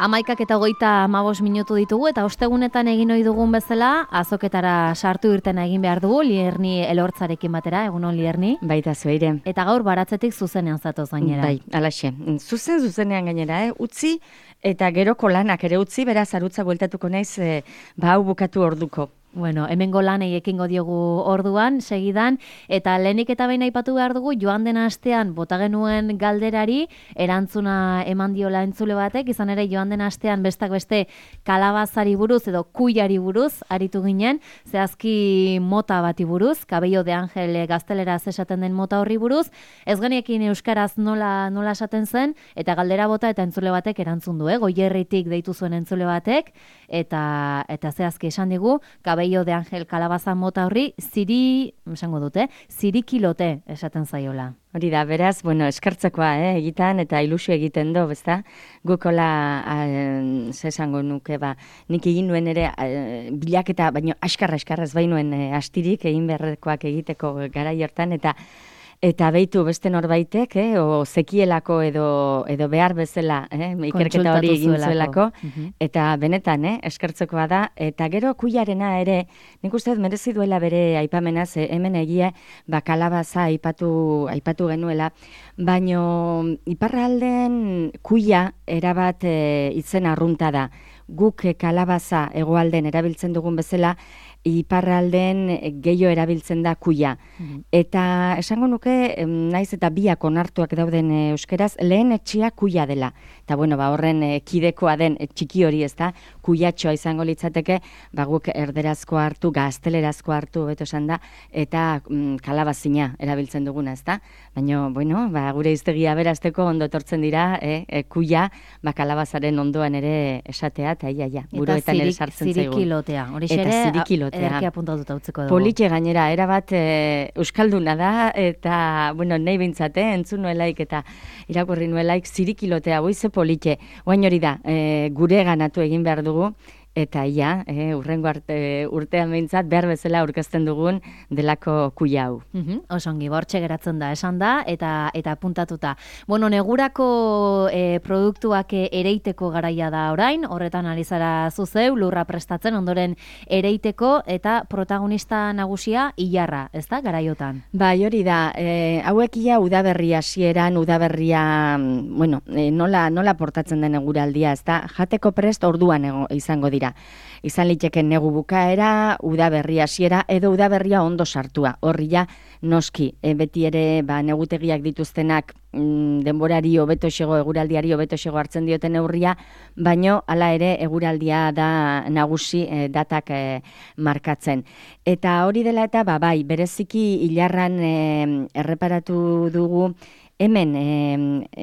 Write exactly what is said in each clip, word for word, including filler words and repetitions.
Amaikak eta hogeita hamabos minutu ditugu eta ostegunetan egin ohi dugun bezala azoketara sartu irtena egin behar dugu Lierni Elortzarekin batera, egunon Lierni. Baita zueire. Eta gaur baratzetik zuzenean zatoz gainera. Bai, alaxe. Zuzen zuzenean gainera, eh? Utzi eta geroko lanak ere utzi, beraz arutza bueltatuko naiz eh, ba hau bukatu orduko. Bueno, hemengo lanei ekingo diogu orduan, segidan, eta lehenik eta behin aipatu behar dugu, joan den astean bota genuen galderari, erantzuna eman diola entzule batek, izan ere joan den astean bestak beste kalabazari buruz edo kuiari buruz aritu ginen, zehazki mota bati buruz, Cabello de Ángel gazteleraz esaten den mota horri buruz, ez geniekin euskaraz nola, nola esaten zen, eta galdera bota eta entzule batek erantzun du, eh? Goierritik deitu zuen entzule batek, eta, eta zehazki esan digu, Cabello de Ángel kalabaza mota horri, ziri, esango dute, zirikilote esaten zaiola. Hori da, beraz, bueno, eskertzekoa, eh, egitan eta ilusio egiten do, bezta, gukola, eh, ze esango nuke, ba, nik egin nuen ere, eh, bilaketa, baino askarra askarra ez bainuen eh, astirik egin beharrekoak egiteko garai hortan, eta Eta beitu beste norbaitek, eh, o zekielako edo, edo behar bezala, eh, ikerketa hori egin zuelako, uh-huh. Eta benetan, eh, eskertzekoa da, eta gero kuiarena ere, nik uste merezi duela bere aipamenaz, eh, hemen egia, ba, kalabaza aipatu, aipatu genuela, baino iparralden kuia erabat eh, izen arrunta da. Guk eh, kalabaza hegoalden erabiltzen dugun bezala, iparralden gehiago erabiltzen da kuia. Mm-hmm. Eta esango nuke, naiz eta biak onartuak dauden euskeraz, lehen etxia kuia dela. Eta bueno, ba, horren kidekoa den txiki hori ez da, kuiatxoa izango litzateke, ba, guk erderazko hartu, gaztelerazko hartu, beto esan da, eta mm, kalabazina erabiltzen duguna ez da. Baina, bueno, ba, gure iztegia berazteko ondo etortzen dira, eh, e, kuia, ba, kalabazaren ondoan ere esatea, eta ia, ia, buruetan ere sartzen zaigu. Eta zirikilotea, hori xere, ederki apuntatuta utzeko dugu. Politxe gainera, erabat e, euskalduna da, eta, bueno, nahi bintzate, entzun nuelaik eta irakurri nuelaik zirikilotea, boize politxe. Oain hori da, e, gure ganatu egin behar dugu, eta ia, e, urrengo arte, urtean behintzat, behar bezala aurkezten dugun delako kuia hau. Uh-huh. Osongi, bortxe geratzen da, esan da, eta eta puntatuta. Bueno, negurako e, produktuak ereiteko garaia da orain, horretan ari zara zuzeu, lurra prestatzen, ondoren ereiteko, eta protagonista nagusia ilarra, ez da, garaiotan? Bai, hori da, e, hauek ia udaberria hasieran, udaberria, bueno, e, nola, nola portatzen den eguraldia, ez da, jateko prest orduan ego, izango dira. Izan liteke negu bukaera, udaberri hasiera edo udaberria ondo sartua. Horri ja noski, e, beti ere ba, negutegiak dituztenak mm, denborari hobeto xego, eguraldiari hobeto xego hartzen dioten neurria, baino hala ere eguraldia da nagusi e, datak e, markatzen. Eta hori dela eta ba, bai, bereziki ilarran e, erreparatu dugu, hemen e,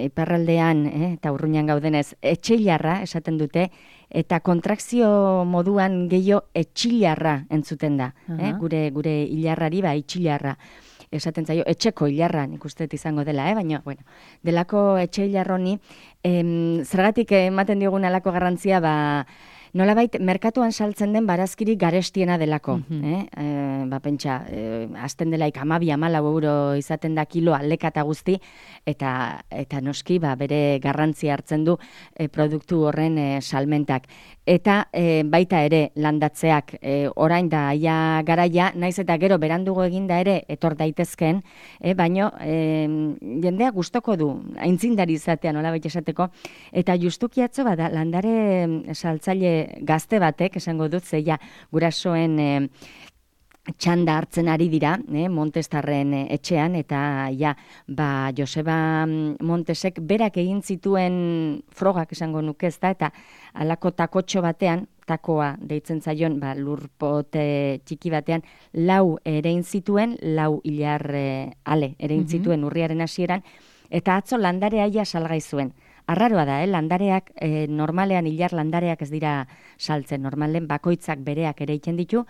iparraldean e, eta urruñan gaudenez, etxeilarra esaten dute, eta kontrakzio moduan gehiago etxilarra entzuten da. Uh-huh. eh? Gure gure ilarrari ba itxilarra esaten zaio, etxeko ilarra nik uste izango dela, eh? Baina, bueno, delako etxe ilarroni, em, zergatik ematen diogun alako garrantzia, ba, nolabait, merkatuan saltzen den barazkiri garestiena delako. Mm-hmm. eh? E, ba, pentsa, e, azten delaik amabi amalau euro izaten da kilo aldeka eta guzti, eta, eta noski ba, bere garrantzia hartzen du e, produktu horren e, salmentak. Eta e, baita ere landatzeak e, orain da aia garaia, naiz eta gero berandugo eginda ere etor daitezken, e, baino e, jendea gustoko du, aintzindari izatea nolabait esateko, eta justuki atzo bada landare saltzaile gazte batek, esango dut, zeia gurasoen e, txanda hartzen ari dira, eh, Montestarren e, etxean, eta ja, ba, Joseba Montesek berak egin zituen frogak esango nuke, ezta, eta alako takotxo batean, takoa deitzen zaion, ba, lurpote txiki batean, lau erein zituen, lau hilar e, ale erein mm-hmm. zituen urriaren hasieran, eta atzo landarea ia salgai zuen. Arraroa da, eh? Landareak, eh, normalean hilar landareak ez dira saltzen, normalen bakoitzak bereak ere egiten ditu,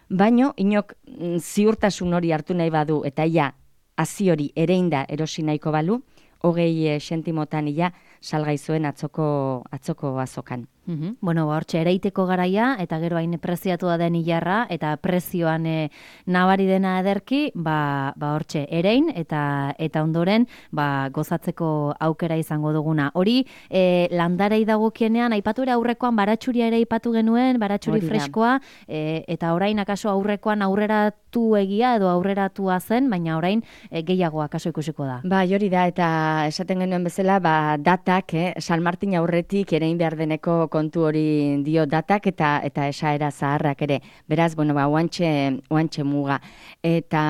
baino inok mm, ziurtasun hori hartu nahi badu, eta ia hazi hori ereinda erosi nahiko balu, hogei e, sentimotan ia salgai zuen atzoko, atzoko azokan. Uhum. Bueno, ba, hortxe, ereiteko garaia, eta gero hain preziatua den hilarra, eta prezioan e, nabari dena ederki, ba, ba hortxe, erein, eta eta ondoren, ba, gozatzeko aukera izango duguna. Hori, e, landarei dagokienean, aipatu ere aurrekoan, baratxuria ere aipatu genuen, baratxuri freskoa, e, eta orain, akaso aurrekoan aurreratu egia, edo aurreratua zen, baina orain e, gehiago akaso ikusiko da. Ba, hori da, eta esaten genuen bezala, ba, datak, eh, San Martin aurretik erein behar deneko kontu hori dio datak eta eta esaera zaharrak ere. Beraz, bueno, ba, oantxe, oantxe muga. Eta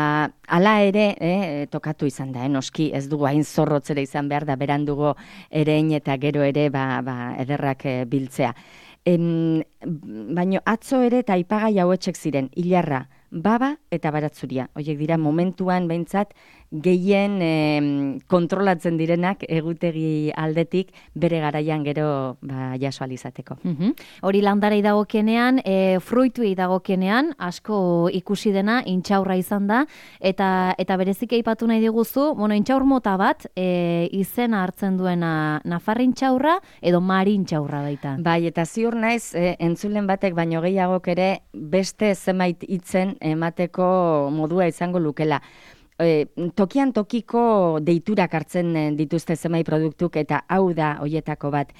hala ere, eh, tokatu izan da, eh, noski, ez dugu hain zorrotzera izan behar da, berandugo erein eta gero ere, ba, ba, ederrak eh, biltzea. Em, baino atzo ere eta aipagai hauetxek ziren, hilarra, baba eta baratzuria. Horiek dira momentuan behintzat gehien eh, kontrolatzen direnak egutegi aldetik bere garaian gero ba, jaso alizateko. Uhum. Hori landarei dagokienean, e, fruituei dagokienean, asko ikusi dena intxaurra izan da, eta eta berezik aipatu nahi diguzu, bueno, intxaur mota bat, e, izena hartzen duena nafarrintxaurra edo marintxaurra baita. Bai, eta ziur naiz, e, entzulen batek baino gehiagok ere beste zenbait hitzen emateko modua izango lukela. E, tokian tokiko deiturak hartzen dituzte zenbait produktuk eta hau da hoietako bat.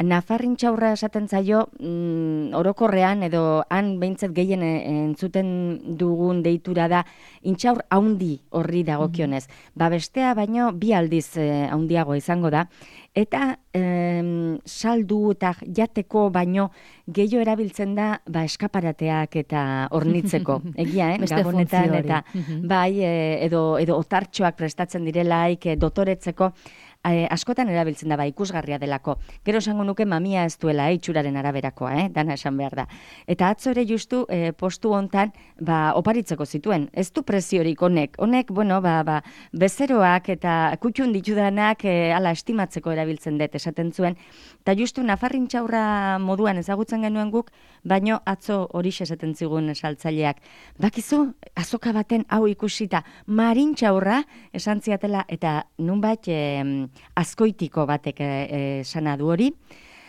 Nafarrintxaurra esaten zaio mm, orokorrean edo han behintzat gehien entzuten dugun deitura da intxaur haundi horri dagokionez. Mm-hmm. Ba bestea baino bi aldiz eh, haundiago izango da. Eta em, saldu eta jateko baino gehiago erabiltzen da ba, eskaparateak eta hornitzeko. Egia, eh? Gabonetan eta bai, e, edo, edo otartxoak prestatzen direlaik, e, dotoretzeko, e, askotan erabiltzen da, ba, ikusgarria delako. Gero esango nuke mamia ez duela, eh, itxuraren araberakoa, eh, dana esan behar da. Eta atzo ere justu e, postu hontan, ba, oparitzeko zituen. Ez du preziorik honek. Honek, bueno, ba, ba, bezeroak eta kutxun ditudanak e, ala estimatzeko erabiltzen dut esaten zuen. Eta justu nafarrintxaurra moduan ezagutzen genuen guk, baino atzo horixe esaten zigun saltzaileak. Bakizu, azoka baten hau ikusita, marintxaurra esan ziatela eta nunbait e, azkoitiko batek esana du hori.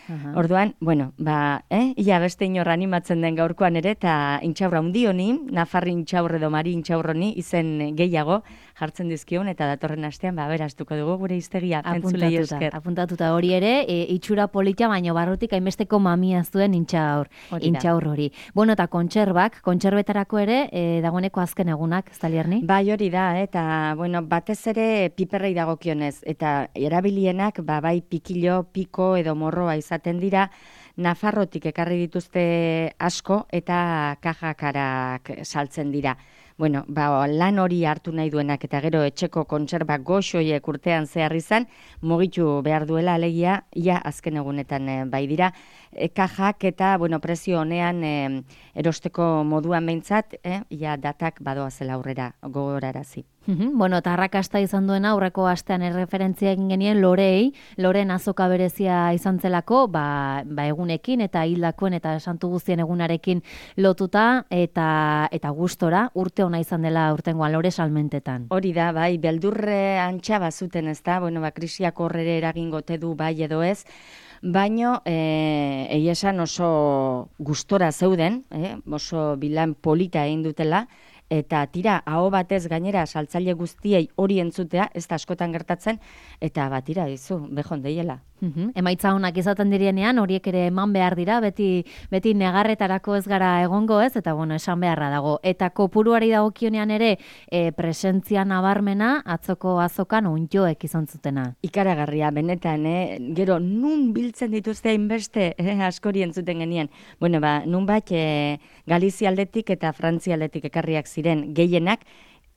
Aha. Orduan, bueno, ba, eh, ia beste inor animatzen den gaurkoan ere, eta intxaurra hundi honi, nafarri intxaurre edo mari intxaurroni izen gehiago jartzen dizkion, eta datorren astean, ba, beraztuko dugu gure hiztegia, entzulei esker. Apuntatuta hori ere, e, itxura polita, baino barrutik hainbesteko mamia zuen intxaur, intxaur hori. Bueno, eta kontserbak, kontserbetarako ere, e, dagoeneko azken egunak, ez da Lierni? Bai, hori da, eta, bueno, batez ere piperrei dagokionez, eta erabilienak, ba, bai pikilo, piko edo morroa izaten dira, Nafarrotik ekarri dituzte asko eta kajakarak saltzen dira. Bueno, ba, lan hori hartu nahi duenak eta gero etxeko kontserbak goxoiek urtean zehar izan, mugitu behar duela alegia, ia azken egunetan e, bai dira. E, kajak eta, bueno, prezio honean e, erosteko moduan behintzat, e, ia datak badoa zela aurrera gogorarazi. Bueno, eta arrakasta izan duena aurreko astean erreferentzia egin genien Lorei, Loren azoka berezia izan zelako, ba, ba egunekin eta hildakoen eta santu guztien egunarekin lotuta eta eta gustora urte ona izan dela urtengoan Lore salmentetan. Hori da, bai, beldurre antxa bazuten, ezta? Bueno, ba krisiak horrere eragingote du bai edo ez. Baino, eh, egia esan oso gustora zeuden, eh, oso bilan polita egin dutela, eta tira, aho batez gainera saltzaile guztiei hori entzutea, ez da askotan gertatzen, eta bat tira dizu, behon deiela. Uhum. Emaitza honak izaten direnean, horiek ere eman behar dira, beti, beti negarretarako ez gara egongo ez, eta bueno, esan beharra dago. Eta kopuruari dagokionean ere, e, presentzia nabarmena, atzoko azokan ondjoek izan zutena. Ikaragarria, benetan, eh? Gero, nun biltzen dituzte hainbeste, eh? Askori entzuten genien. Bueno, ba, nun bat, eh, Galizia aldetik eta Frantzia aldetik ekarriak ziren gehienak,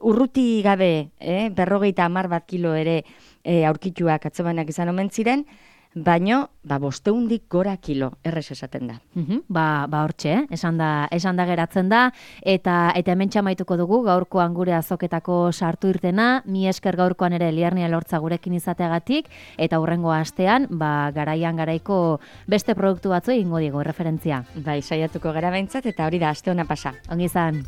urruti gabe, eh? berrogeita hamar bat kilo ere eh, aurkituak atzobanak izan omen ziren, baino, ba, bosteundik gora kilo, errez esaten da. Uhum, ba, ba hortxe, eh? esan da, esan da geratzen da, eta eta hemen txamaituko dugu gaurkoan gure azoketako sartu irtena, mi esker gaurkoan ere Liernia Elortza gurekin izateagatik, eta hurrengo astean, ba, garaian garaiko beste produktu batzu egingo diego, referentzia. Bai, saiatuko gara behintzat, eta hori da, aste hona pasa. Ongi izan.